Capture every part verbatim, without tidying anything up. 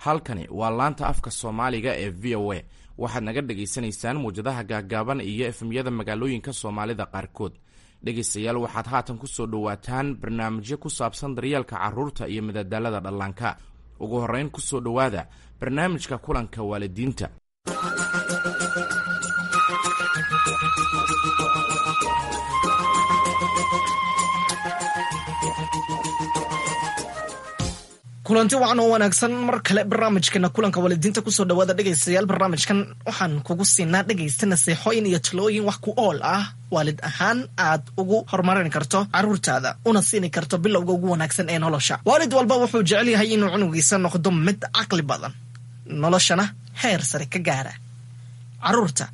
Halkani waa laanta afka Soomaaliga ee V O A. Waxaad naga dhagaysanaysaan muwjadaha gaagaaban iyo F M-yada magaalooyinka Soomaalida qaarkood. Dhegaystayaal, waxaad haatan ku soo dhowaataan barnaamijyo ku saabsan daryeelka carruurta iyo madadaalada dhallaanka. Ugu horrayn, ku soo dhowaada barnaamijka kulanka waalidiinta. Kulanti wacan oo wanaagsan mar kale barnaamijkeena kulanka waalidiinta kusoo dhawaada, dhegaystayaal. Barnaamijkan waxaan kugu siinaa, dhegaysta, naseexooyin iyo talooyin wax ku ool ah, waalid ahaan aad ugu horumarin karto caruurtaada una siini karto bilowga ugu wanaagsan ee nolosha. Waalid walba wuxuu jecel yahay inuu cunugiisa noqdo mid caqli badan, noloshana heer sare ka gaara. Caruurta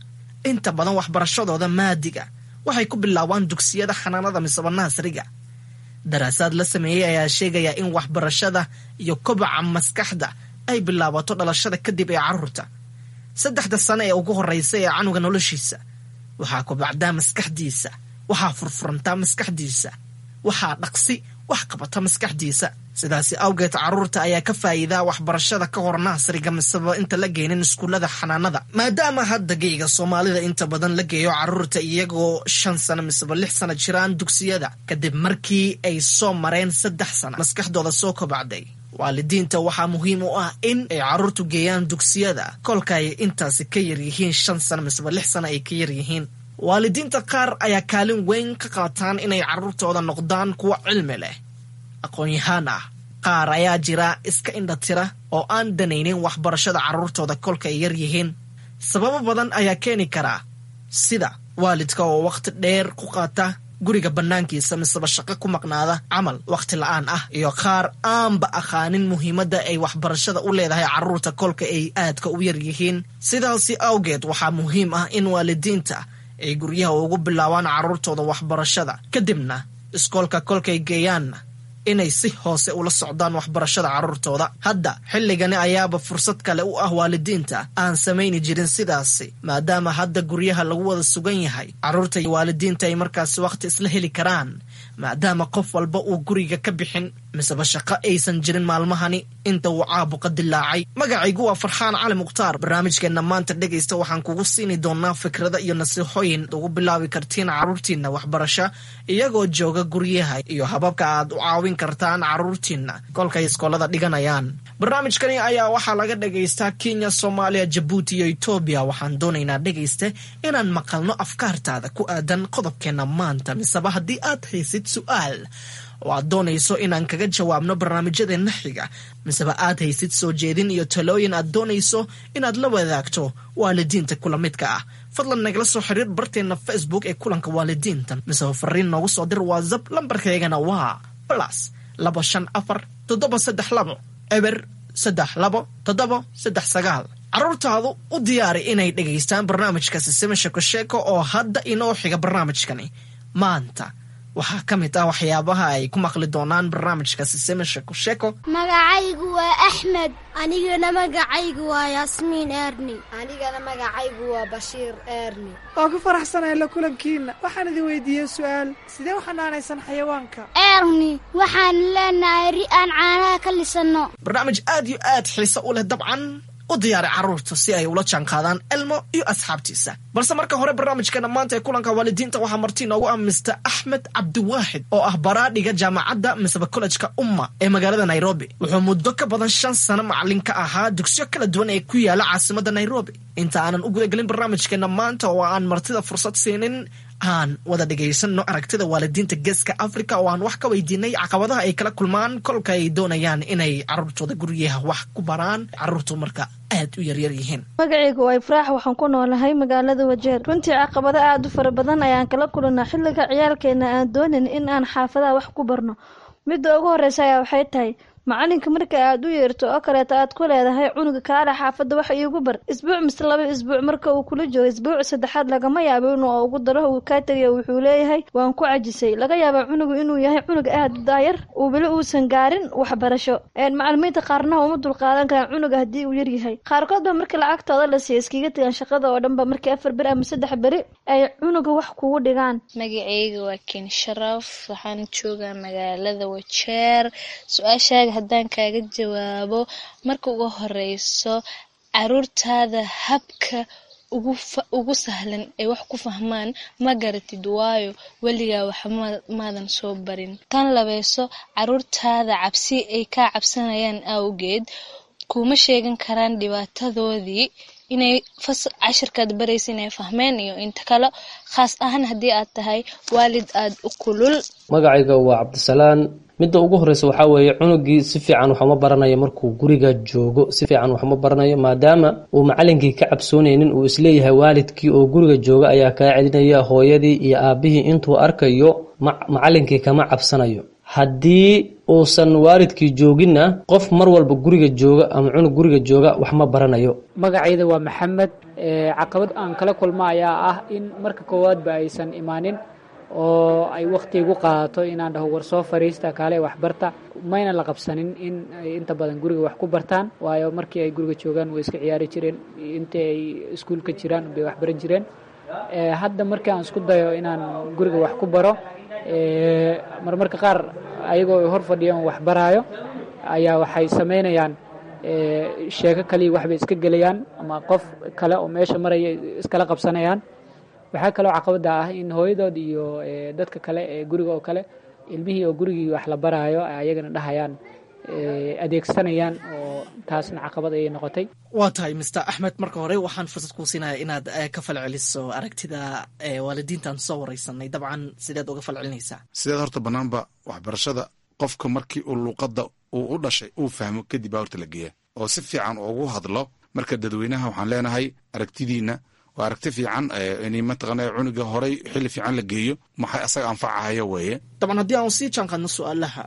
inta badan waxbarashadooda maadiga waxay ku bilaabaan dugsiyada xanaanada misaba nursery-ga. Daraasaad la sameeyey ayaa sheegaya in waxbarashada iyo kobaca maskaxda ay bilaabato dhalashada kadib ee caruurta. Saddexda sano ee ugu horeysa ee canuga noloshiisa waxaa kobacdaa maskaxdiisa, waxaa furfurantaa maskaxdiisa, waxaa dhaqsi wax qabata maskaxdiisa. Sidaasi awgeed, caruurta ayaa ka faa'iidaa waxbarashada ka hor nursery-ga miseba inta la geynin iskuullada xanaanada, maadaama hadda geyga Soomaalida inta badan la geeyo caruurta iyagoo shan sano miseba lix sano jiraan dugsiyada, kadib markii ay soo mareen saddex sano maskaxdooda soo kobacday. Waalidiinta waxaa muhiim u ah in ay caruurtu geeyaan dugsiyada kolka ay intaasi ka yaryihiin shan sano miseba lix sano ay ka yaryihiin. Waalidiinta qaar ayaa kaalin weyn ka qaataan inay caruurtooda noqdaan kuwa cilmi leh, aqoon-yahaan ah. Qaar ayaa jira iska indhatira oo aan danaynin waxbarashada carruurtooda kolka ay yar yihiin. Sababo badan ayaa keeni karaa, sida waalidka oo wakhti dheer ku qaata guriga bannaankiisa miseba shaqo ku maqnaada camal wakhti la'aan ah, iyo qaar aanba aqaanin muhiimadda ay waxbarashada u leedahay carruurta kolka ay aadka u yar yihiin. Sidaasi awgeed, waxaa muhiim ah in waalidiinta ay guryaha ugu bilaabaan carruurtooda waxbarashada, kadibna iskoolka kolkay geeyaanna inay si hoose ula socdaan waxbarashada carruurtooda. Hadda xilligani ayaaba fursad kale u ah waalidiinta aan samayni jirin sidaasi, maadaama hadda guryaha lagu wada sugan yahay, carruurta iyo waalidiinta ay markaasi wakhti isla heli karaan, maadaama qof walba uu guriga ka bixin miseba shaqo aysan jirin maalmahani inta uu caabuqa dilaacay. Magacaygu waa Farxaan Cali Mukhtaar. Barnaamijkeenna maanta, dhegaysta, waxaan kugu siini doonaa fikrada iyo nasiixooyin ugu bilaabi kartiin carruurtiinna waxbarasho iyagoo jooga guryaha, iyo hababka aad u caawin kartaan carruurtiinna kolkay iskoolada dhiganayaan. Barnaamijkani ayaa waxaa laga dhagaystaa Kenya, Soomaaliya, Jabuuti iyo Etoobiya. Waxaan doonaynaa, dhegayste, inaan maqalno afkaartaada ku aadan qodobkeenna maanta, miseba haddii aad haysid su'aal oo aad doonayso inaan kaga jawaabno barnaamijyadeenna xiga, miseba aad haysid soo jeedin iyo talooyin aad doonayso inaad la wadaagto waalidiinta kula midka ah, fadlan nagala soo xiriir barteenna Facebook ee kulanka waalidiinta, miseba fariin noogu soo dir WhatsApp. Lambarkaygana waa plus laba shan afar toddoba saddex labo eber saddex labo toddoba saddex sagaal. Carruurtaadu u diyaari inay dhegaystaan barnaamijka Sisime Sheeko Sheeko oo hadda inoo xiga. Barnaamijkani maanta waxaa ka mid ah waxyaabaha ay ku maqli doonaan barnaamijka Sisime Sheeko Sheeko. Magacaygu waa Axmed. Anigana magacaygu waa Yaasmiin Eerni. Anigana magacaygu waa Bashiir Eerni. Waan ku faraxsanahay la kulankiinna. Waxaan idin weydiiyey su'aal: sidee u xanaanaysan xayawaanka? Eerni, waxaan leenahay ri aan caanaha ka lisanno. Barnaamij aad iyo aad xiise u leh dabcan. U diyaari carruurta si ay ula jaanqaadaan Elmo iyo asxaabtiisa. Balse marka hore, barnaamijkeena maanta ee kulanka waalidiinta waxaa marti inoogu ah Mister Axmed Cabdiwaaxid oo ah baraadhiga jaamacadda miseba kollejka Umma ee magaalada Nairobi. Wuxuu muddo ka badan shan sano macalin ka ahaa dugsiyo kala duwan ee ku yaala caasimadda Nairobi. Inta aanan u gudagelin barnaamijkeena maanta oo aan martida fursad siinin, aan wada dhegaysanno aragtida waalidiinta Geeska Africa oo aan wax ka weydiinay caqabadaha ay kala kulmaan kolka ay doonayaan inay carruurtooda guryaha wax ku baraan, carruurtu marka aad u yaryar yihiin. Magacaygu waa Ifraax, waxaan ku noolahay magaalada Wajeer. Runtii caqabado aada u fara badan ayaan kala kulanaa xilliga ciyaalkeena aan doonayn in aan xaafadaha wax ku barno. Midda ugu horeysa ayaa waxay tahay macalinka marka aad u yeerto oo kaleeto aad ku leedahay cunuga kaale xaafadda wax iigu bar, isbuuc mise laba isbuuc marka uu kula joogo, isbuuc saddexaad lagama yaabo inuu ugu daro, uu kaa tegayo. Wuxuu leeyahay waan ku cajisay. Laga yaabaa cunugu inuu yahay cunug aad u daayar, uu weli uusan gaarin waxbarasho. Macalimiinta qaarna uma dulqaadan karaan cunuga haddii uu yaryahay. Qaarkood ba marka lacagtooda la siiya iskaga tegaan shaqada oo dhanba markii afar beri ama saddex beri ay cunuga wax kugu dhigaan. Magacayga waa Ken Sharaf, waxaan joogaa magaalada Wajeer. Su-aashaaga Haddaan kaaga jawaabo, marka ugu horeyso caruurtaada habka ugu sahlan ay wax ku fahmaan ma garatid, waayo weligaa wax maadan soo barin. Tan labeyso, caruurtaada cabsi ay kaa cabsanayaan awgeed kuma sheegan karaan dhibaatadoodii inay cashirkaad baraysa inay fahmeen iyo inta kale, khaas ahaan haddii aad tahay waalid aada u kulul. Magacayga waa Cabdisalaan. Midda ugu horeysa waxaa weeye, cunugii si fiican waxuma baranayo markuu guriga joogo, si fiican waxuma baranayo maadaama uu macalinkii ka cabsoonaynin, uu isleeyahay waalidkii oo guriga jooga ayaa kaa celinaya, hooyadii iyo aabihii intuu arkayo macalinkii kama cabsanayo. Haddii uusan waalidkii jooginna, qof mar walba guriga jooga ama cunug guriga jooga wax ma baranayo. Magacayda waa Maxamed. Caqabad aan kala kulma ayaa ah in marka koowaadba aysan imaanin oo ay wakhti igu qaadato inaan dhaho war soo fariista, kaale waxbarta. Mayna la qabsanin in ay inta badan guriga wax ku bartaan, waayo markii ay guriga joogaan way iska ciyaari jireen, intii ay iskuulka jiraan bay wax baran jireen. Hadda markii aan isku dayo inaan guriga wax ku baro, marmarka qaar ayagoo ay hor fadhiyaan wax baraayo ayaa waxay samaynayaan sheeko kaliya, waxbay iska gelayaan ama qof kale oo meesha maraya iskala qabsanayaan. Waxaa kaloo caqabada ah in hooyadood iyo dadka kale ee guriga oo kale ilmihii oo gurigii wax la baraayo ayagana dhahayaan adeegsanayaan, oo taasna caqabad ayay noqotay. Waa tahay, Mister Axmed. Marka hore waxaan fursad kuu siinaya inaad ka falceliso aragtida waalidiintaan soo wareysanay. Dabcan sideed uga falcelinaysaa? Sideed horta banaanba waxbarashada qofka markii uu luuqadda uu u dhashay uu fahmo kadib baa horta la geeya oo si fiican ugu hadlo. Marka dadweynaha waxaan leenahay, aragtidiina waa aragti fiican in mataqaana cunuga horay xilli fiican la geeyo, maxay asaga anfacahayo weeye. Dabcan haddii aan sii jaanqaadno su-aalaha,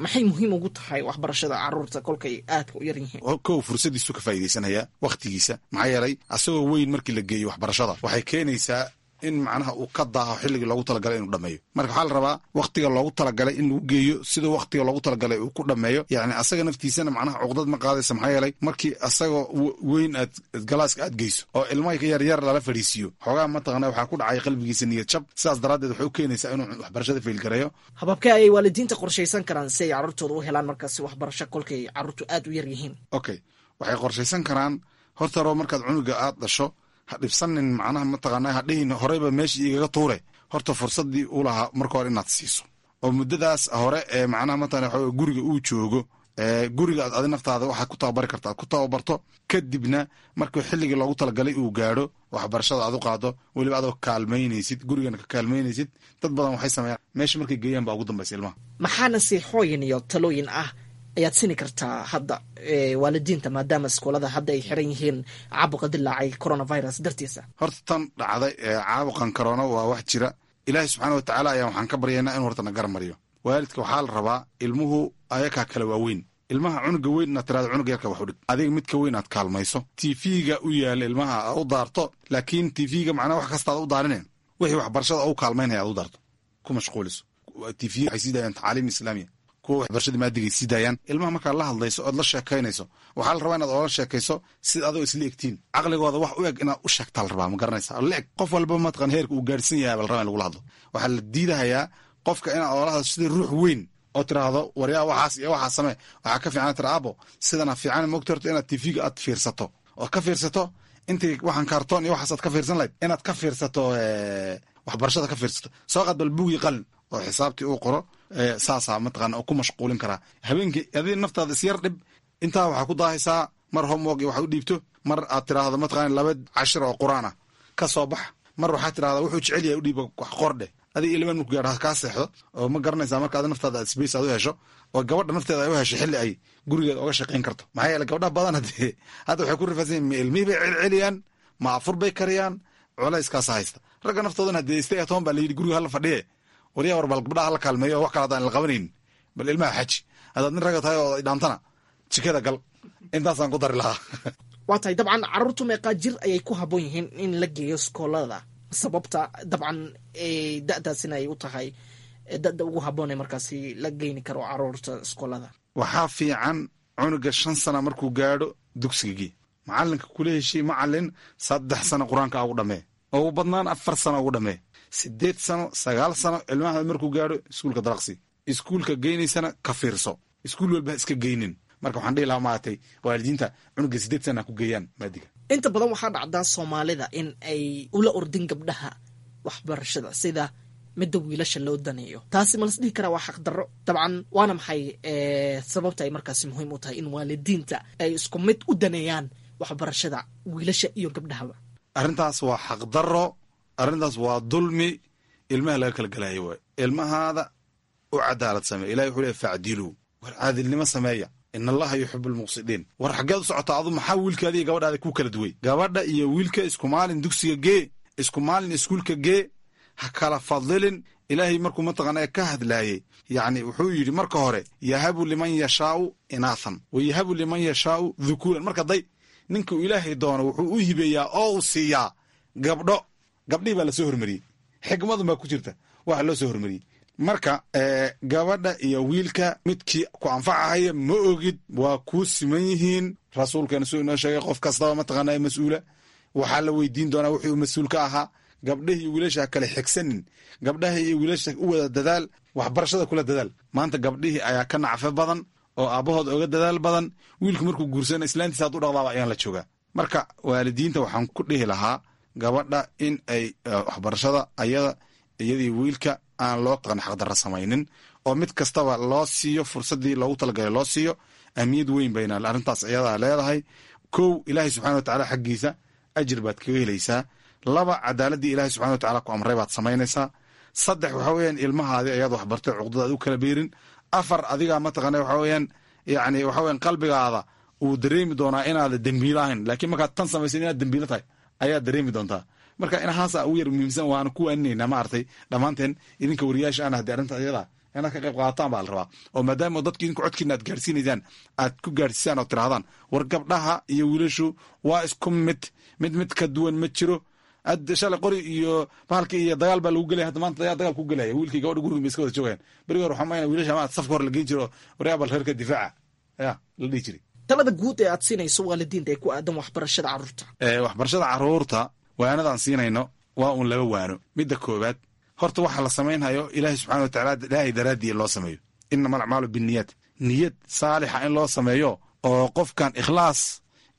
maxay muhiim ugu tahay waxbarashada caruurta kolkay aadka u yar yihiin? Kow, fursadiisu ka faa'iidaysanaya wakhtigiisa, maxaa yeelay asagoo weyn markii la geeyo waxbarashada waxay keenaysaa in macnaha uu ka daaho xilligii loogu talagalay inuu dhameeyo. Marka waxaa la rabaa wakhtiga loogu talagalay in lagu geeyo siduu wakhtiga loogu talagalay uu ku dhameeyo. Yacni asaga naftiisana macnaha cuqdad ma qaadaysa, maxaa yeelay markii asagoo weyn aad galaaska aad geyso oo ilmaha yar yar lala fadhiisiiyo, xoogaa mataqana waxaa ku dhacay qalbigiisa niyad jab. Sidaas daraaddeed waxay u keenaysaa inuu waxbarashada failgareeyo. Hababkee ayay waalidiinta qorshaysan karaan si ay carruurtooda u helaan markaasi waxbarasho kolkay carruurtu aad u yar yihiin? Okay, waxay qorshaysan karaan horta roo markaad cunuga aad dhasho, ha dhibsanin, macnaha mataqaana ha dhihin horeyba meeshii igaga tuure. Horta fursaddii uu lahaa marka hore inaad siiso oo muddadaas hore ee macnaha mataqana waxa guriga uu joogo, guriga aad adi naftaada waxaad ku tababari karta aad ku tababarto. Kadibna markuu xilligii loogu talagalay uu gaadho, waxbarashada aad u qaado, weliba adoo kaalmaynaysid, gurigana ka kaalmaynaysid. Dad badan waxay sameeyaan meesha markay geeyaan baa ugu dambaysa ilmaha. Maxaa nasiixooyin iyo talooyin ah ayaad sini kartaa hadda waalidiinta, maadaama iskoolada hadda ay xiran yihiin caabuqa dilaacay coronavirus dartiisa? Horta tan dhacday caabuqan corona waa wax jira. Ilaahay subxaana wa tacaala ayaa waxaan ka baryaynaa inuu horta na garmariyo. Waalidka waxaa la rabaa ilmuhu ayakaa kala waaweyn, ilmaha cunuga weyn inaad tirahdo cunuga yarka wax u dhig, adiga midka weyn aad kaalmayso, T V-ga u yaala ilmaha aad u daarto, laakiin T V-ga macnaha wax kasta aad u daarine, wixii waxbarashada u kaalmaynaya aad u daarto, ku mashquuliso. T V waxay sii daayaan tacaaliim islaamiya, kuwa waxbarashada maadigay sii daayaan. Ilmaha markaad la hadlayso ood la sheekaynayso, waxaa la rabaa inaad oola sheekayso sida adoo isla egtiin, caqligooda wax u eg inaad u sheegtaa la rabaa, ma garanaysa? La eg qof walba mataqan heerka uu gaarhsan yahay baa la rabaa in lagula hadlo. Waxaa la diidahayaa qofka inaad oola hadlo sida ruux weyn oo tiraahdo waryaa waxaas iyo waxaas samee. Waxaa ka fiican tira abo sidana fiican mogta, horta inaad T V-ga aad fiirsato ood ka fiirsato intii waxaan kaartoon iyo waxaas aad ka fiirsan lahayd, inaad ka fiirsato waxbarashada ka fiirsato. Soo qaad bal buugii qalin oo xisaabtii uu qoro, saasaa mataqaana oo ku mashquulin karaa habeenkii. Adiga naftaada isyar dhib, intaa waxaa ku daahaysaa mar homework iyo waxaad u dhiibto, mar aad tiraahdo mataqaana laba cashir oo qur-aan ah ka soo bax, mar waxaad tirahdaa wuxuu jecel yahay u dhiiba wax qordheh. Adiga ilman marku gaadho kaa seexdo oo ma garanaysaa. Marka adi naftaada aad space aad u hesho oo gabadha nafteeda ay u hesho xilli ay gurigeeda oga shaqayn karto, maxaa yeele gabdhaha badan hadee hadda waxay ku rifaasan yihin, ma ilmihii bay celceliyaan, ma afur bay kariyaan, culayskaasa haysta. Ragga naftoodana hadee stay at home baa la yidhi, guriga hala fadhiye. Waryaa, war bal gabdhaha hala kaalmeeyo, wax kale haddaan la qabanaynin bal ilmaha xaji. Haddaad nin ragga tahay oo dhaantana jikada gal, intaasaan ku dari lahaa. Waa tahay. Dabcan carruurtu meeqaa jir ayay ku habboon yihiin in la geeyo iskoolada? Sababta dabcan da'daasina ay u tahay da'da ugu habboon ee markaasi la geyni karo carruurta iskoolada? Waxaa fiican cunuga shan sana markuu gaadho dugsigagii, macalinka kula heshii, macalin saddex sano qur-aanka ugu dhamee, ugu badnaan afar sano ugu dhamee. Sideed sano, sagaal sano ilmaha markuu gaadho iskuulka dalaqsi, iskuulka geynaysana ka fiirso. Iskuul walba ha iska geynin. Marka waxaan dhihi lahaa maaragtay waalidiinta cunuga sideed sana ha ku geeyaan maadiga. Inta badan waxaa dhacdaa Soomaalida in ay ula ordin gabdhaha waxbarashada sida midda wiilasha loo daneeyo. Taasi ma las dhihi karaa waa xaqdarro? Dabcan, waana maxay sababta ay markaasi muhiim u tahay in waalidiinta ay isku mid u daneeyaan waxbarashada wiilasha iyo gabdhahaba? Arrintaas waa xaqdarro, arrintaas waa dulmi ilmaha laga kala gelayo waay. Ilmahaada u cadaalad sameeya. Ilahi wuxuu leey facdiluu, war caadilnimo sameeya, in Allaha yuxibu almuqsidiin. War xaggeed u socotaa adu? Maxaa wiilkaada iyo gabadhaada ku kala duway? Gabadha iyo wiilka isku maalin dugsiga gee, isku maalin iskuulka gee, ha kala fadilin. Ilaahay markuu mataqaana ka hadlaayey, yacni wuxuu yidhi marka hore yahabu liman yashaau inaathan wa yahabu liman yashaau dhukuuran. Marka day ninka uu Ilaahay doono wuxuu u hibeeyaa oo uu siiyaa gabdho. Gabdhihii baa lasoo hormariyey, xikmadun baa ku jirta waxa loo soo hormariyey. Marka gabadha iyo wiilka midkii ku anfacahaya ma ogid, waa kuu siman yihiin. Rasuulkeena suu inoo sheegay, qof kastaba mataqaana mas-uula waxaa la weydiin doonaa wixii uu mas-uul ka ahaa. Gabdhahi iyo wiilasha ha kale xigsanin, gabdhaha iyo wiilasha u wada dadaal, waxbarashada kula dadaal. Maanta gabdhihii ayaa ka nacfo badan oo aabbahood oga dadaal badan. Wiilku markuu guursana islaantiisa hadduu dhaqdaaba ayaan la joogaa. Marka waalidiinta waxaan ku dhihi lahaa gabadha in ay waxbarashada ayada iyadii wiilka aan loo xaqdarra samaynin, oo mid kastaba loo siiyo fursaddii loogu talagalay loo siiyo. Ahmiyad weyn bayna arrintaas iyadaa leedahay. Kow, Ilaahay subxana wa tacaala xaggiisa ajir baad kaga helaysaa. Laba, cadaaladii Ilahay subxana wa tacala ku amray baad samaynaysaa. Saddex, waxa weeyaan ilmahaadii ayaad waxbartay cuqdada aad u kala beerin. Afar, adigaa mataqaana waxa weeyaan yacni waxa weeyaan qalbigaada uu dareemi doonaa inaada dembiilo ahayn, laakiin markaad tan samaysan inaad dembiilo tahay ayaad dareemi doontaa. Marka inahaasa ugu yar muhiimsan, waana ku waaninaynaa maaragtay dhammaanteen idinka wariyaasha ana haddii arrinta iyada inaad ka qayb qaadataan baa la rabaa, oo maadaama dadki idinku codkiina aad gaarsiinaysaan aad ku gaarsiisaan oo tirahdaan war gabdhaha iyo wiilashu waa isku mid, mid mid ka duwan ma jiro. Ad shalay qori iyo bahalka iyo dagaal baa lagu gelaya, hadda maanta ayaa dagaal ku gelaya. Wiilkii gabadha guriga bay iska wada joogayaan. Berigi hore waxaa mayna wiilasha ma safka hore la geyn jiro, waryaa bal reerka difaaca ya la dhihi jiray. Talada guud ee aad siinayso waalidiinta ee ku aadan waxbarashada carruurta? Waxbarashada carruurta waanadaan siinayno waa uun laba waano. Midda koowaad, horta waxa la samaynhayo Ilaahay subxana wa tacala Ilaahay daraaddii loo sameeyo. Inama alacmaalu binniyaat, niyad saalixa in loo sameeyo oo qofkan ikhlaas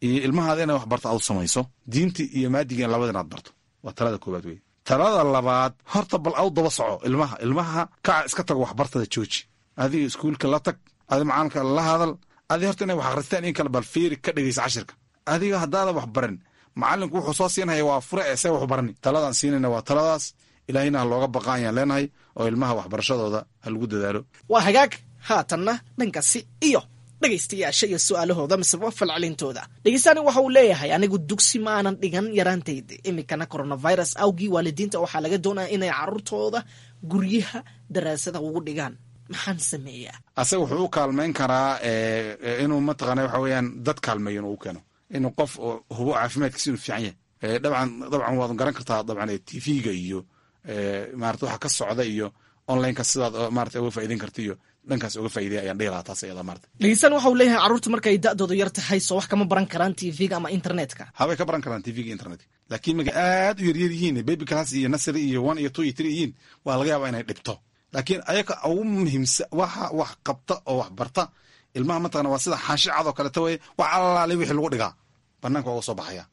iyo ilmahaada inay wax barto aad u samayso, diintii iyo maadiga in labada inaad barto, waa talada koowaad wey. Talada labaad, horta bal aw daba soco ilmaha. Ilmaha kaca iska tago, waxbartada jooji, adiga iskuulka la tag, adi macalinka la hadal, adi horta inay wax akhristaan in kale bal fiiri, ka dhegeysa cashirka. Adiga haddaada wax barin, macalinku wuxuu soo siinhaya waa fure ee see waxu barani. Taladaan siinayna waa taladaas. Ilaahayna ha looga baqa ayaan leenahay, oo ilmaha waxbarashadooda ha lagu dadaalo. Waa hagaag. Haatanna dhankaasi iyo dhegaystayaasha iyo su-aalahooda miseba falcelintooda. Dhegeystaani waxa uu leeyahay, anigu dugsi ma aanan dhigan yaraantayda, iminkana coronavirus awgii waalidiinta waxaa laga doonaya inay carruurtooda guryaha daraasada ugu dhigaan, maxaan sameeyaa? Asaga wuxuu u kaalmayn karaa inuu mataqaana waxa weeyaan dad kaalmeeyo, inuu u keeno inuu qof hubo caafimaadkiisa inuu fiican yahay. Dabcan dabcan waad garan kartaa, dabcan T V-ga iyo maarata waxa ka socda iyo onlineka sidaad maarata uga faa'iideyn karta iyo dhankaas uga faa'iideya ayaan dhihi lahaa taas iyada maarata. Dhegeystaan waxa uu leeyahay, carruurta markay da'doodu yar tahay soo wax kama baran karaan T V-ga ama internetka? Habay ka baran karaan T V-ga, internetka, laakiin markay aad u yaryar yihiin, baby class iyo nursery iyo one iyo two iyo three yihiin, waa laga yaabaa inay dhibto. Laakiin ayaga ugu muhiimsan waxa wax qabta oo wax barta ilmaha mataqana waa sida xaashi cad oo kaleto weye, wax allaale wixii lagu dhigaa banaanka waa uga soo baxaya.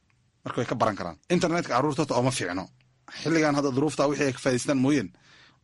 Marka way ka baran karaan internetka carruurta. Horta ooma fiicno xilligan hadda duruufta wixii ay ka faa'idaystaan mooyeen,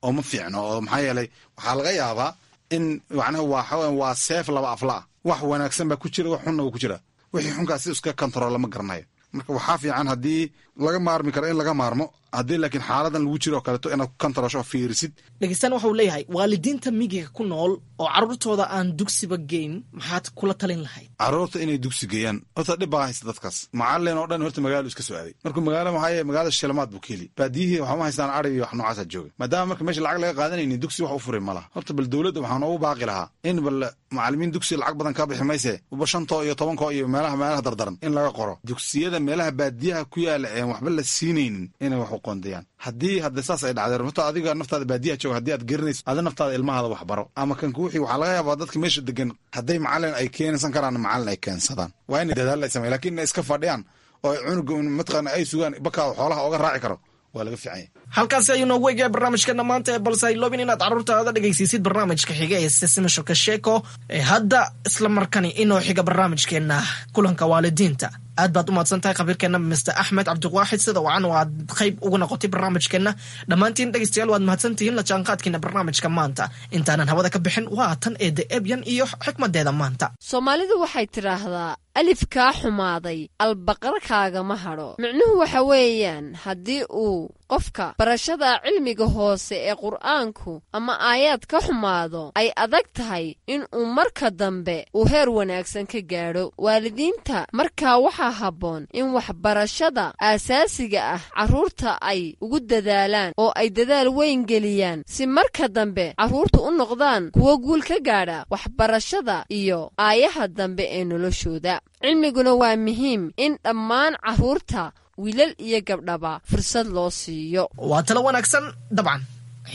ooma fiicno, oo maxaa yeelay waxaa laga yaabaa in macnaha waa waa seef laba afla ah. Wax wanaagsan baa ku jira, wax xunna waa ku jira. Wixii xunkaas si iska control ma garanayo. Marka waxaa fiican haddii laga maarmi karo in laga maarmo, haddii laakiin xaaladan lagu jiro oo kaleeto inaad ku controlsho oo fiirisid. Dhegeystaan waxa uu leeyahay, waalidiinta miyiga ku nool oo carruurtooda aan dugsiba geyn maxaad kula talin lahayd? Carruurta inay dugsi geeyaan horta dhib baa haysta dadkaas. Macalin oo dhan horta magaalo iska soo aaday. Markuu magaalo maxaa yeele magaalada shilmaad buu ka heli, baadiyihii waxma haystaan, ari iyo wax noocaasa jooga. Maadaama marka meesha lacag laga qaadanaynin, dugsi wax u furay ma laha. Horta bal dowladda waxaan noogu baaqi lahaa in bal macalimiin dugsi lacag badan kaa bixi mayse, uba shantoo iyo tobankoo iyo meelaha meelaha dardaran in laga qoro dugsiyada meelaha baadiyaha ku yaala een waxba la siinaynin inay wax u qoondayaan. Haddii hadda saas ay dhacdeen, horta adiga naftaada baadiyaha jooga haddii aad garanayso, adi naftaada ilmahaada wax baro ama kan kuwixii. Waxaa laga yaabaa dadka meesha degan hadday macalin ay keensan karaan, macalin ay keensadaan, waa inay dadaal ay sameyan. Lakin inay iska fadhiyaan oo ay cunuga mataqaana ay sugaan bakaa xoolaha oga raaci karo Waa laga fiican yahay. Halkaasi ayuu noogu eegaya barnaamijkeena maanta ee balse hayloobin inaad carruurtaada dhegaysiisid barnaamijka xiga ee Sisimi Sheeko ee hadda isla markani inoo xiga barnaamijkeena kulanka waalidiinta. Aad baad u mahadsan tahay khabiirkeena Mister Axmed Cabdiwaaxid, sida wacan oo aad qayb uga noqotay barnaamijkeena. Dhammaantiin dhegaystayaal waad mahadsantihiin la jaanqaadkiina barnaamijka maanta. Intaanan hawada ka bixin, waa tan eede Ebyan iyo xikmadeeda maanta. Soomaalidu waxay tidhaahdaa, alif kaa xumaaday albaqar kaagama hadho. Micnuhu waxa weeyaan, haddii uu qofka barashada cilmiga hoose ee Qur'aanku ama aayaad ka xumaado, ay adag tahay in uu marka dambe uu heer wanaagsan ka gaadho. Waalidiinta markaa waxaa habboon in waxbarashada aasaasiga ah carruurta ay ugu dadaalaan oo ay dadaal weyn geliyaan, si marka dambe carruurtu u noqdaan kuwo guul ka gaadha waxbarashada iyo aayaha dambe ee noloshooda. Cilmiguna waa muhiim in dhammaan carruurta, wiilal iyo gabdhaba, fursad loo siiyo. Waa talo wanaagsan dabcan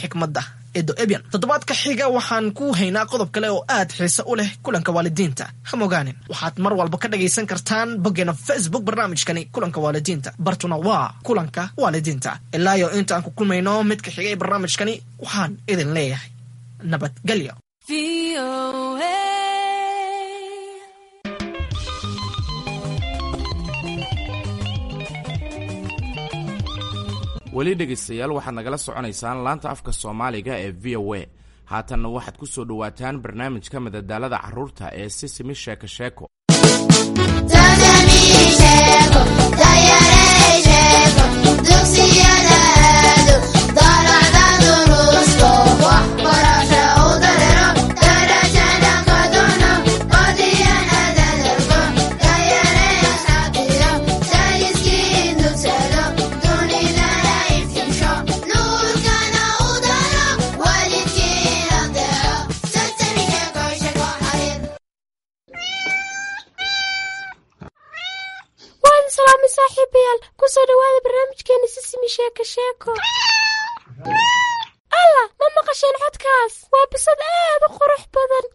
xikmadda Edo Ebyan. Toddobaadka xiga waxaan ku haynaa qodob kale oo aad xiise u leh kulanka waalidiinta. Ha mogaanin, waxaad mar walba ka dhagaysan kartaan boggeena Facebook barnaamijkani kulanka waalidiinta. Bartuna waa kulanka waalidiinta. Ilaa iyo inta aan ku kulmayno midka xiga ee barnaamijkani, waxaan idin leeyahay nabadgelyo. Weli dhegaystayaal, waxaad nagala soconaysaan laanta afka Soomaaliga ee V O A. Haatanna waxaad ku soo dhowaataan barnaamijka madadaalada carruurta ee Sisimi Sheeko Sheeko. Waan salaamay saaxiibayaal, kusoo dhawaada barnaamijkeena Sisimi Sheeko Sheeko. Alla, ma maqasheen codkaas? Waa bisad aad u qurux badan.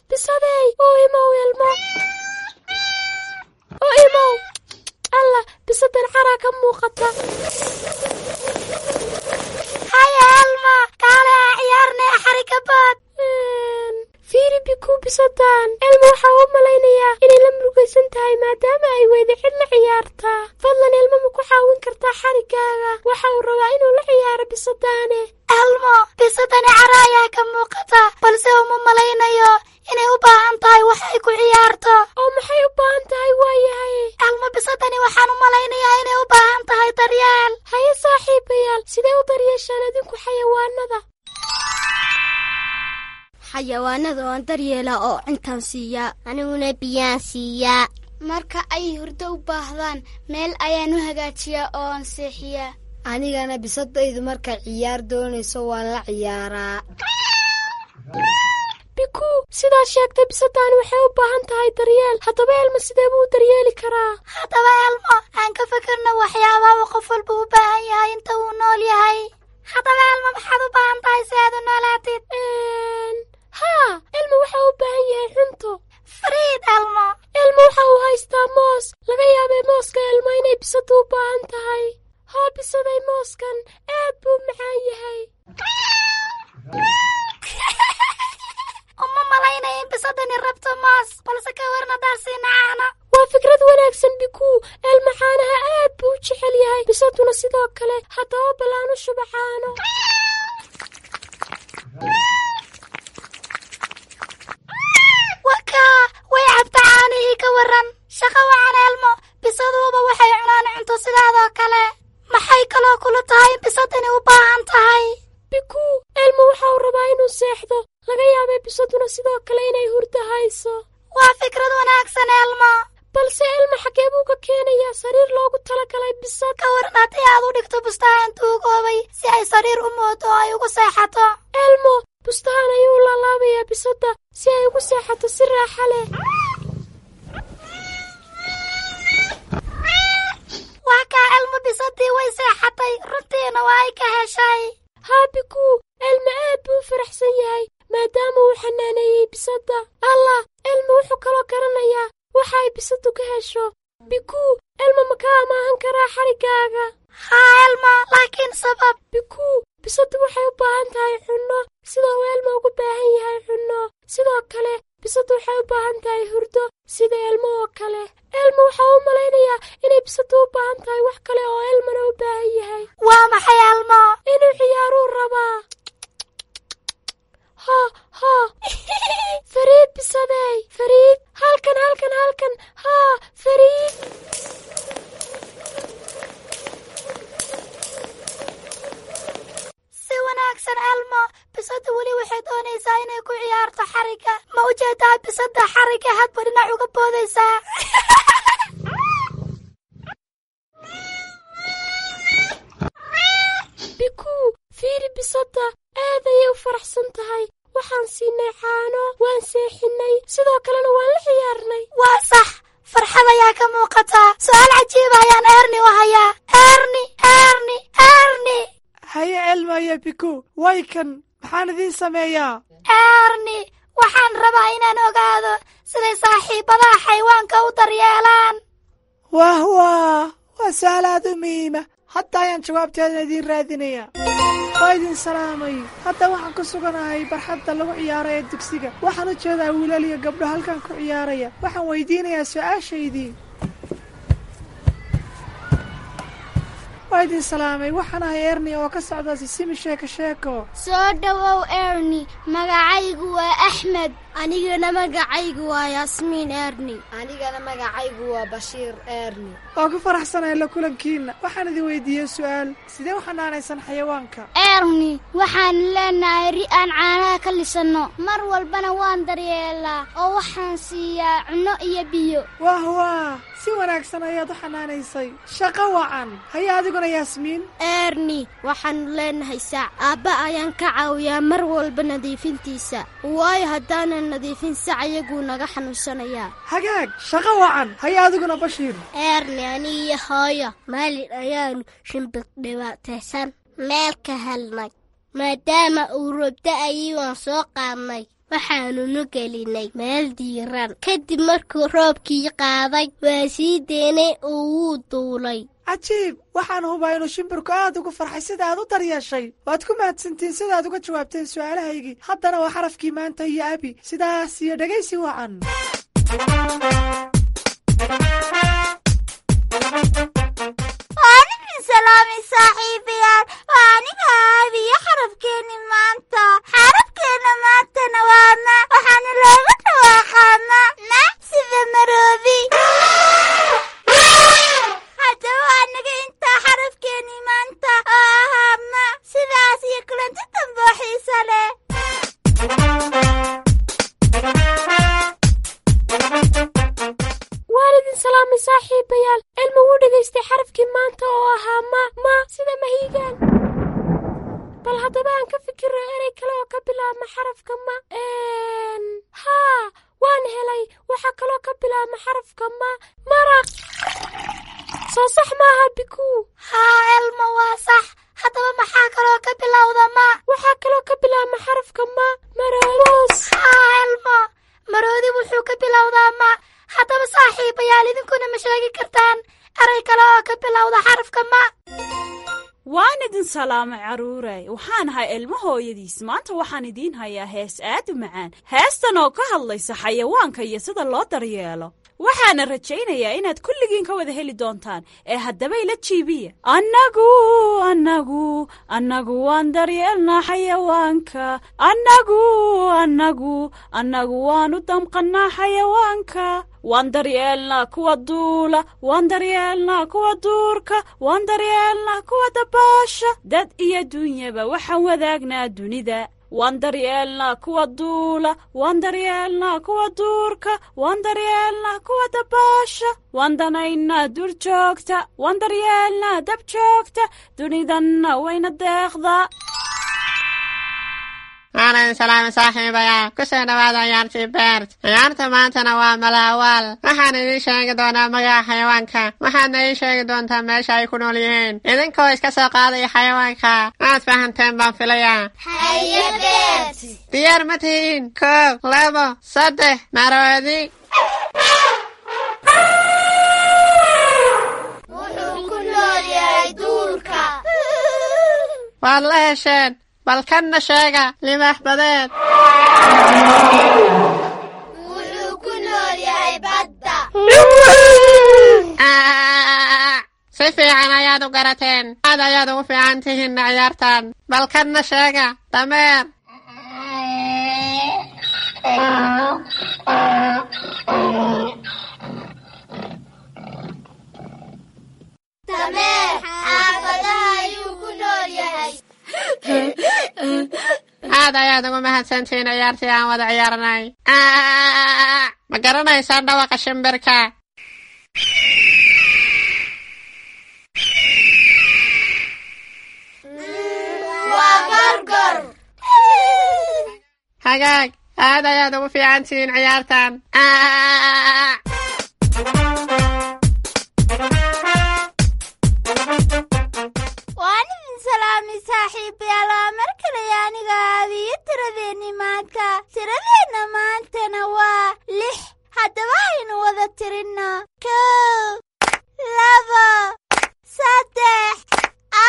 Bisadey, oo imow ilmo, oo imow. Alla, bisadan caraa ka muuqata. Haya Alma, kaale aa ciyaarnay xarikabood. Fiiri Biku, bisadan Elmo waxaa u malaynayaa inay la murugaysan tahay maadaama ay weyda cid la ciyaartaa. Fadlan Elmo, ma ku caawin kartaa xarigaaga? Waxa uu rabaa inuu la ciyaaro bisadaane. Elmo, bisadani cara ayaa ka muuqata, balse uma malaynayo inay u baahan tahay wax ay ku ciyaarto. Oo maxay u baahan tahay waayahay? Elmo, bisadani waxaan u malaynayaa inay u baahan tahay daryeel. Haye saaxiibayaal, sidee u daryeeshaan adinku xayawaanada? Xayawaanada waan daryeelaa oo cuntaan siiyaa. Aniguna biyaan siiyaa. Marka ay hurdo u baahdaan, meel ayaan u hagaajiyaa oo aan seexiyaa. Anigana bisadaydu markay ciyaar doonayso waan la ciyaaraa. Biku, sidaad sheegtay, bisadaani waxay u baahan tahay daryeel. Haddaba Elmo, sidee buu u daryeeli karaa? Haddaba Elmo, aan ka fikirno waxyaabaha uu qof walba u baahan yahay inta uu nool yahay. Haddaba Elmo, maxaad u baahan tahay si aad u noolaatid? Haa, Elmo waxa uu u baahan yahay cunto. Fariid Elmo. Elmo waxa uu haystaa moos. Laga yaabay mooska Elmo inay bisadu u baahan tahay. Haa bisaday, mooskan aad buu macaan yahay. Uma malaynaya in bisadani rabto moos, balse ka waran haddaan siina caano? Waa fikrad wanaagsan Biku. Elmo caanaha aad buu u jecel yahay, bisaduna sidoo kale. Haddaba bal aan u shuba caano. Wakaa, way cabta caanihii, ka waran? Shaqo wacan Elmo, bisaduuba waxay cunaan cunto sidaadoo kale. Maxay kaloo kula tahay in bisadani u baahan tahay? Biku, Elmo waxa uu rabaa inuu seexdo. Laga yaabay bisaduna sidoo kale inay hurdo hayso. Waa fikrad wanaagsan Elmo. Balse Elmo, xagee buu ka keenayaa sariir loogu talagalay bisad? Ka waran haddii aad u dhigto bustahan tuugoobay si ay sariir u moodo oo ay ugu seexato? Elmo bustahan ayuu u laalaabayaa bisadda si ay ugu seexato si raaxa leh. Waa kaa Elmo, bisadii way seexatay, runtiina waa ay ka heshay. Haa Biku, Elmo aad buu u faraxsan yahay maadaama uu xanaaneeyey bisadda. Allah, Elmo wuxuu kaloo garanayaa waxa ay bisaddu ka hesho. Bikuu, Elmo ma ka amaahan karaa xariggaaga? Haa Elmo, laakiin sabab. Bikuu, bisaddu waxay u baahan tahay cunno sida uu Elmo ugu baahan yahay cunno. Sidoo kale bisaddu waxay u baahan tahay hurdo sida Elmo oo kale. Elmo waxaa u malaynayaa inay bisaddu u baahan tahay wax kale oo Elmona u baahan yahay. Waa maxay Elmo? Inuu ciyaaruu rabaa. Ha ha, Fariid bisadey, Fariid, halkan halkan halkan, haa Fariid. Si wanaagsan Elmo, bisaddu weli waxay doonaysaa inay ku ciyaarto xarigga. Ma u jeedaa bisadda xarigga hadba dhinac uga boodaysaa? Bikuu, fiiri bisadda, aad ayay u faraxsan tahay. Waxaan siinay caano, waan seexinay, sidoo kalena waan la ciyaarnay. Waa sax, farxad ayaa ka muuqataa. Su'aal cajiiba ayaan Erni u hayaa. Erni, Erni, Erni. Haye Elmo iyo Biku, way kan, maxaan idiin sameeyaa? Erni, waxaan rabaa inaan ogaado siday saaxiibadaha xayawaanka u daryeelaan. Wah wah, waa su'aal aad u muhiima. Hadda ayaan jawaabteedana idiin raadinayaa. Waa idin salaamay. Hadda waxaan ku suganahay barxadda lagu ciyaaro ee dugsiga. Waxaan u jeedaa wiilal iyo gabdho halkan ku ciyaaraya. Waxaan weydiinayaa su'aashaydii. Waa idin salaamay. Waxaan ahay Erni oo ka socda Sisimi Sheeko Sheeko. Soo dhowow Erni, magacaygu waa Axmed. Anigana magacaygu waa Yaasmiin Erni. Anigana magacaygu waa Bashiir Erni. Waa ku faraxsanahay la kulankiinna. Waxaan idin weydiiyey su'aal. Sidee u xanaanaysan xayawaanka? Erni, waxaan leenahay ri aan caanaha ka lisanno. Mar walbana waan daryeelaa oo waxaan siiyaa cunno iyo biyo. Wah wah, si wanaagsan ayaad u xanaanaysay. Shaqo wacan. Haye adiguna Yaasmiin. Erni, waxaanu leenahay sac. Aabba ayaan ka caawiyaa mar walba nadiifintiisa. Waayo haddaanan nadiifin sac iyaguu naga xanuunsanayaa. Hagaag, shaqo wacan. Haye adiguna Bashiir. Erni, aniga iyo hooyo maalin ayaanu shimbir dhibaataysan meel ka helnay. Maadaama uu roob da'ayay waan soo qaadnay. Waxaanunu gelinay meel diiran. Kadib markuu roobkii qaaday waa sii deynay oo wuu duulay. Cajiib, waxaan hubaa inuu shimbirku aad ugu farxay sida aad u daryeeshay. Waad ku mahadsantiin sida aad uga jawaabteen su'aalahaygii. Haddana waa xarafkii maanta iyo Abi. Sidaas iyo dhegaysi wacan. Waan idin salaamay saaxiibayaal. Waa aniga Abi iyo xarafkeenni maanta. Xarafkeenna maantana waa ma. Waxaana looga dhawaaqaa ma. Ma sida maroobi. Haddaba waa anaga intaa xarafkeenni maanta oo ahaa ma. Sidaas iyo kulanti dambe oo xiiso leh. Waan idin salaamay saaxiibayaal. Elmo wuu dhegaystay xarafkii maanta oo ahaa ma, ma sida mahiigaan. Bal haddaba aan ka fikirno erey kale oo ka bilaabma xarafka ma. Een, haa, waan helay. Waxaa kaloo ka bilaabma xarafka ma, maraq. Soo sax maaha Bikuu? Haa Elmo, waa sax. Haddaba maxaa kaloo ka bilowda ma? Waxaa kaloo ka bilaabma xarafka ma, maroos. Haa Elmo, maroodi wuxuu ka bilowdaa ma. Haddaba saaxiibayaal, idinkuna ma sheegi kartaan erey kale oo ka bilowda xarafka ma? Waan idin salaamay carruuray. Waxaan ahay Elmo hooyadiis. Maanta waxaan idiin hayaa hees aad u macaan. Heestan oo ka hadlaysa xayawaanka iyo sida loo daryeelo. Waxaana rajaynayaa inaad kulligiin ka wada heli doontaan. Ee haddaba ila jiibiya. Annagu, annagu, annagu waan daryeelnaa xayawaanka. Annagu, annagu, annagu waan u damqannaa xayawaanka. Waan daryeelnaa kuwa duula, waan daryeelnaa kuwa duurka, waan daryeelnaa kuwa dabaasha. Dad iyo dunyaba waxaan wadaagnaa dunida. Waan daryeelnaa kuwa duula, waan daryeelnaa kuwa duurka, waan daryeelnaa kuwa dabaasha. Waan danaynaa duur joogta, waan daryeelnaa dab joogta, dunidanna wayna deeqdaa. Waan idin salaamay saaxiibayaal. Ku soo dhawaada ciyaartii Bert. Ciyaarta maantana waa malaawaal. Waxaan idiin sheegi doonaa magaca xayawaanka. Waxaadna ii sheegi doontaa meesha ay ku nool yihiin. Idinkoo iska soo qaadaya xayawaanka. Waad fahanteen baan filayaa. Haye Bert. Diyaar ma tihiin? Koow, labo, saddex, maroodi. Waad la hesheen. Bal kanna sheega, libaax badeed. Wuxuu ku nool yahay badda. Si fiican ayaad u garateen. Aad ayaad ugu fiican tihiin ciyaartan. Bal kanna sheega, dameer. Dameer xaafadaha ayuu ku nool yahay. Aad ayaad ugu mahadsantihiin ciyaartii aan wada ciyaarnay. Ma garanaysaan dhawaqa shimbirka? Waa gorgor. Hagaag, aad ayaad ugu fiican tihiin ciyaartan. Waan idin salaamay saaxiibayaal. Waa mar kale aniga aabiyo tiradeenni maanta. Tiradeenna maantana waa lix. Haddaba aynu wada tirinno: kow, labo, saddex,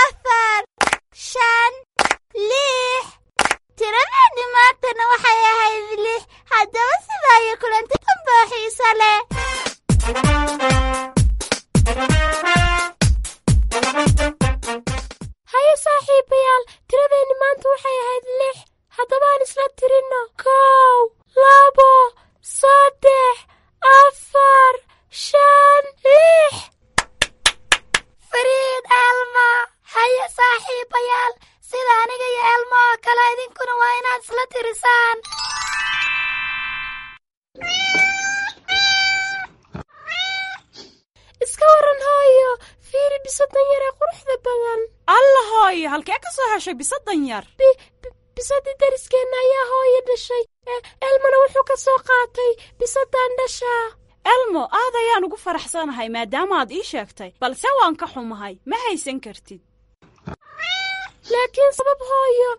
afar, shan, lix. Tiradeenni maantana waxay ahayd lix. Haddaba sidaa iyo kulanti dambe oo xiiso leh. Haye saaxiibayaal, tiradeenni maanta waxay ahayd lix. Haddaba aan isla tirinno: kow, labo, saddex, afar, shan, lix. Fariid Elmo. Haye saaxiibayaal, sida aniga iyo Elmo oo kale idinkuna waa inaad isla tirisaan. Iska waran hooyo, fiiri bisadan yar ee quruxda badan. Alla hooyo, halkee ka soo heshay bisadan yar? Bisadii dariskeenna ayaa hooyo dhashay. Elmona wuxuu ka soo qaatay bisadan dhashaa. Elmo, aad ayaan ugu faraxsanahay maadaama aad ii sheegtay, balse waan ka xumahay, ma haysan kartid. Laakiin sabab hooyo,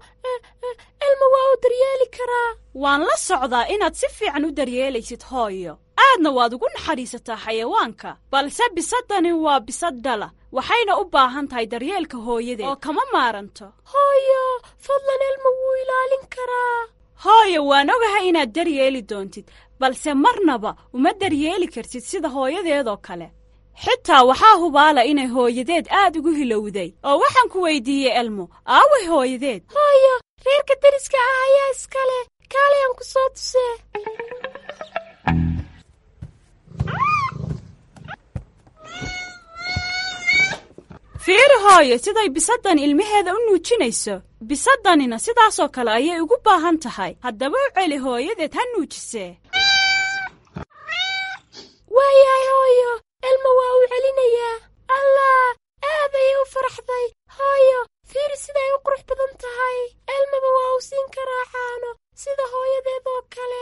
Elmo waa uu daryeeli karaa. Waan la socdaa inaad si fiican u daryeelaysid hooyo, aadna waad ugu naxariisataa xayawaanka, balse bisadani waa bisad dhala, waxayna u baahan tahay daryeelka hooyadeed oo kama maaranto. Hooyo, fadlan, Elmo wuu ilaalin karaa. Hooyo, waan ogahay inaad daryeeli doontid, balse marnaba uma daryeeli kartid sida hooyadeedoo kale. Xitaa waxaa hubaala inay hooyadeed aad ugu hilowday. Oo waxaan ku weydiiyey Elmo, aaway hooyadeed? Hooyo, reerka deriska ah ayaa iskale. Kaalay aan ku soo tusee. Fiiri hooyo, siday bisaddan ilmaheeda u nuujinayso. Bisaddanina sidaasoo kale ayay ugu baahan tahay. Haddaba u celi hooyadeed ha nuujisee. Waayahay hooyo, Elmo waa uu celinayaa. Allah, aad ayay u faraxday. Hooyo, fiiri siday u qurux badan tahay. Elmaba waa uu siin karaa caano sida hooyadeed oo kale.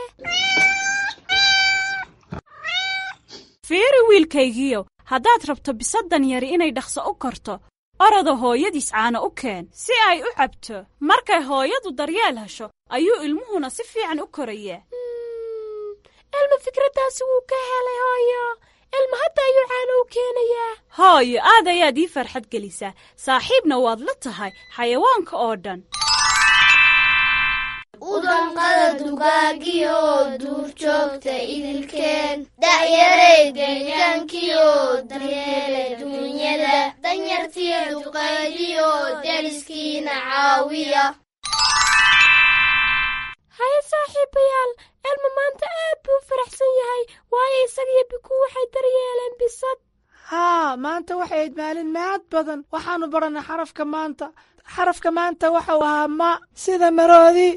Fiiri wiilkaygiiyow, haddaad rabto bisaddan yari inay dhaqso u korto, orada hooyadiis caano u keen si ay u cabto. Markay hooyadu daryeel hesho ayuu ilmuhuna si fiican u korayaa. Elmo fikraddaasi wuu ka helay hooyo. Elmo hadda ayuu caano u keenayaa. Hooyo, aad ayaad ii farxad gelisaa, saaxiibna waad la tahay xayawaanka oo dhan. Udanqada dugaagiyo duurjoogta idilkeen, da'yaray deegaankiyo daryeela duunyada, danyartiyo duqaydiyo deriskiina caawiya. Haye saaxiibayaal, Elmo maanta aad buu u faraxsan yahay, waayo isaga iyo Bikuu waxay daryeeleen bisad. Haa, maanta waxay ahayd maalin mahad badan. Waxaannu baranay xarafka maanta. Xarafka maanta waxau ahaa ma, sida maroodi.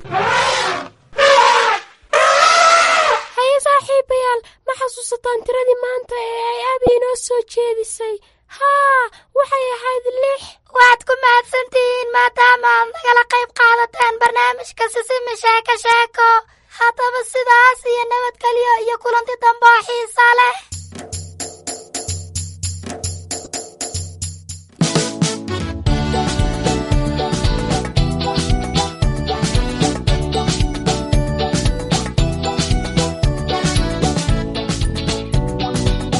Haye saaxiibayaal, ma xasuusataan tiradii maanta ee ay Abi inoo soo jeedisay? Haa, waxay ahayd lix. Waad ku mahadsantihiin maadaama aad nagala qayb qaadateen barnaamijka Sisimi Sheeko Sheeko. Haddaba sidaas iyo nabadgelyo iyo kulanti dambe oo xiisa leh.